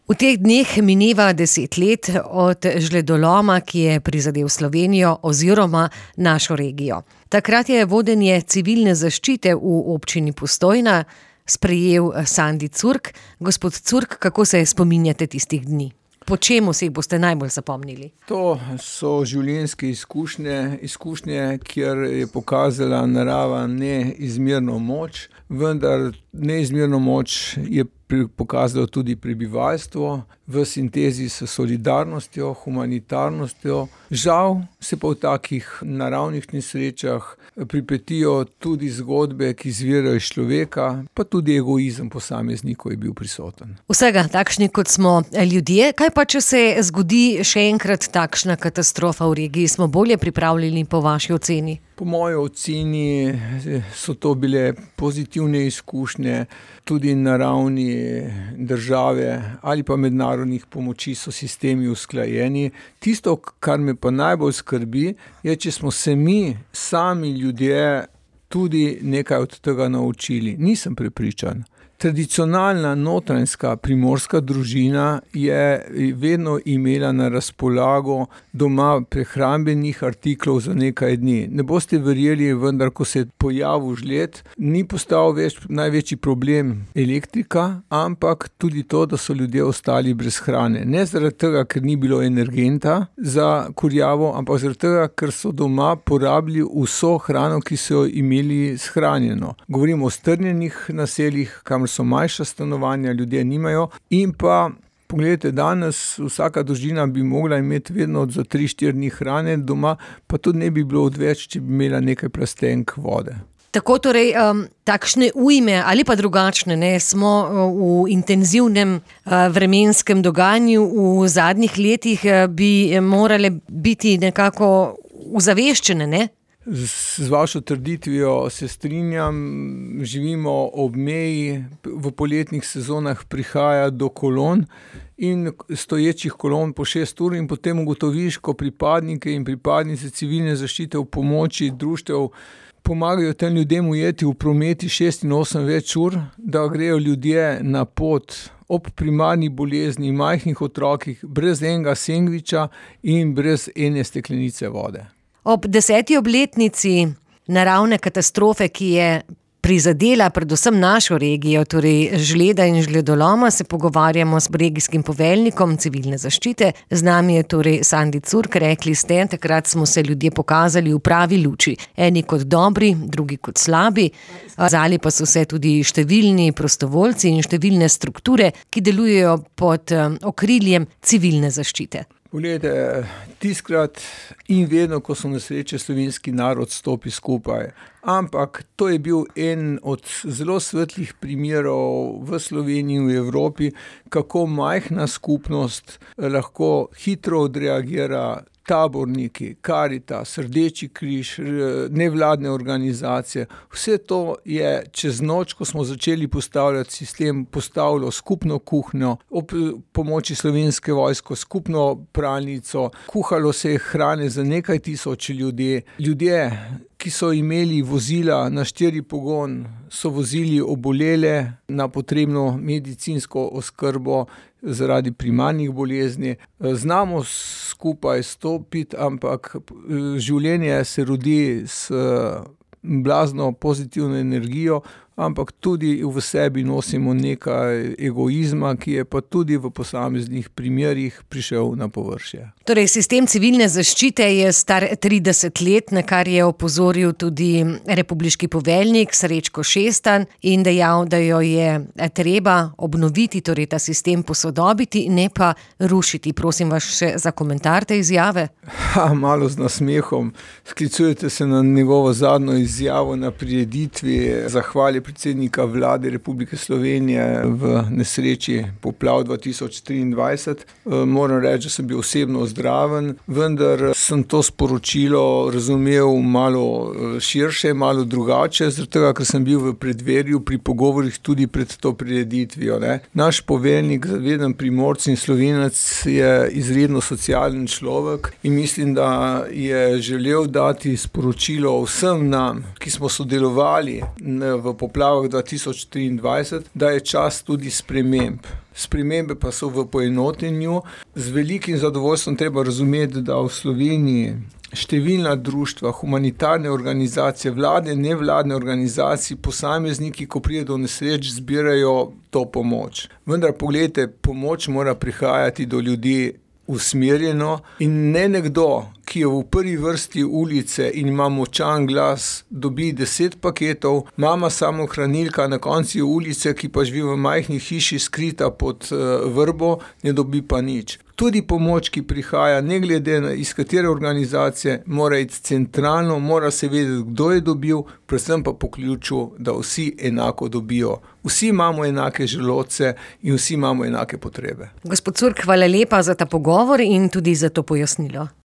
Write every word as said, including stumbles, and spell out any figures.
V teh dneh mineva deset let od žledoloma, ki je prizadel Slovenijo oziroma našo regijo. Takrat je vodenje civilne zaščite v občini Postojna sprejel Sandi Curk. Gospod Curk, kako se spominjate tistih dni? Po čemu se jih boste najbolj zapomnili? To so življenjske izkušnje, izkušnje, kjer je pokazala narava neizmerno moč, vendar neizmerno moč je pokazalo tudi prebivalstvo v sintezi s solidarnostjo, humanitarnostjo. Žal se pa v takih naravnih nesrečah pripetijo tudi zgodbe, ki izvirajo iz človeka, pa tudi egoizem posameznikov je bil prisoten. Vsega takšni, kot smo ljudje. Kaj pa, če se zgodi še enkrat takšna katastrofa v regiji? Smo bolje pripravljeni po vaši oceni? Po moji oceni so to bile pozitivne izkušnje, tudi na ravni države ali pa mednarodnih pomoči so sistemi usklajeni. Tisto, kar me pa najbolj skrbi, je, če smo se mi, sami ljudje, tudi nekaj od tega naučili. Nisem prepričan. Tradicionalna notranjska primorska družina je vedno imela na razpolago doma prehrambenih artiklov za nekaj dni. Ne boste verjeli, vendar, ko se je pojavil žled, ni postal več največji problem elektrika, ampak tudi to, da so ljudje ostali brez hrane. Ne zaradi tega, ker ni bilo energenta za kurjavo, ampak zaradi tega, ker so doma porabili vso hrano, ki so jo imeli shranjeno. Govorimo o strnjenih naseljih, kamor so manjša stanovanja, ljudje nimajo. In pa, pogledajte, danes vsaka družina bi mogla imeti vedno za tri štiri dni hrane doma, pa tudi ne bi bilo odveč, če bi imela nekaj plastenk vode. Tako torej, um, takšne ujme ali pa drugačne, ne, smo v intenzivnem uh, vremenskem dogajanju v zadnjih letih, uh, bi morale biti nekako uzaveščene, ne? Z vašo trditvijo se strinjam, živimo ob meji, v poletnih sezonah prihaja do kolon in stoječih kolon po šest ur in potem ugotoviš, ko pripadnike in pripadnice civilne zaščite v pomoči društev pomagajo tem ljudem ujeti v prometi šest in osem več ur, da grejo ljudje na pot ob primarni bolezni, majhnih otrokih, brez enega sendviča in brez ene steklenice vode. Ob deseti obletnici naravne katastrofe, ki je prizadela predvsem našo regijo, torej žleda in žledoloma, se pogovarjamo s regijskim poveljnikom civilne zaščite. Z nami je torej Sandi Curk. Rekli ste, takrat smo se ljudje pokazali v pravi luči. Eni kot dobri, drugi kot slabi. Zali pa so se tudi številni prostovoljci in številne strukture, ki delujejo pod okriljem civilne zaščite. Poglejte, tiskrat in vedno, ko so nesreče, slovenski narod stopi skupaj. Ampak to je bil en od zelo svetlih primerov v Sloveniji in v Evropi, kako majhna skupnost lahko hitro odreagira. Taborniki, Karitas, Rdeči križ, nevladne organizacije. Vse to je čez noč, ko smo začeli postavljati sistem, postavilo skupno kuhnjo, ob pomoči Slovenske vojske, skupno pralnico, kuhalo se je hrane za nekaj tisoč ljudi. Ljudje, ki so imeli vozila na štiri pogon, so vozili obolele na potrebno medicinsko oskrbo zaradi primarnih bolezni. Znamo skupaj stopiti, ampak življenje se rodi s blazno pozitivno energijo, ampak tudi v sebi nosimo nekaj egoizma, ki je pa tudi v posameznih primerih prišel na površje. Torej, sistem civilne zaščite je star trideset let, na kar je opozoril tudi republiški poveljnik Srečko Šestan in dejal, da jo je treba obnoviti, torej ta sistem posodobiti, ne pa rušiti. Prosim vas še za komentar te izjave. Ha, malo z nasmehom. Sklicujete se na njegovo zadnjo izjavo na prireditvi zahvali predsednika vlade Republike Slovenije v nesreči poplav dva tisoč triindvajset. Moram reči, da sem bil osebno zdraven, vendar sem to sporočilo razumel malo širše, malo drugače, zaradi tega, ker sem bil v predverju pri pogovorih tudi pred to prireditvijo. Ne. Naš poveljnik, zaveden Primorec in Slovenec, je izredno socialen človek in mislim, da je želel dati sporočilo vsem nam, ki smo sodelovali v poplavi poplavah dva tisoč triindvajset, da je čas tudi sprememb. Spremembe pa so v poenotenju. Z velikim zadovoljstvom treba razumeti, da v Sloveniji številna društva, humanitarne organizacije, vlade, nevladne organizacije, posamezniki, ko pride do nesreč, zbirajo to pomoč. Vendar poglejte, pomoč mora prihajati do ljudi usmerjeno in ne nekdo, ki je v prvi vrsti ulice in ima močan glas, dobi deset paketov, mama samohranilka na koncu ulice, ki pa živi v majhni hiši skrita pod vrbo, ne dobi pa nič. Tudi pomoč, ki prihaja, ne glede na iz katere organizacije, mora iti centralno, mora se vedeti, kdo je dobil, predvsem pa po ključu, da vsi enako dobijo. Vsi imamo enake želodce in vsi imamo enake potrebe. Gospod Curk, hvala lepa za ta pogovor in tudi za to pojasnilo.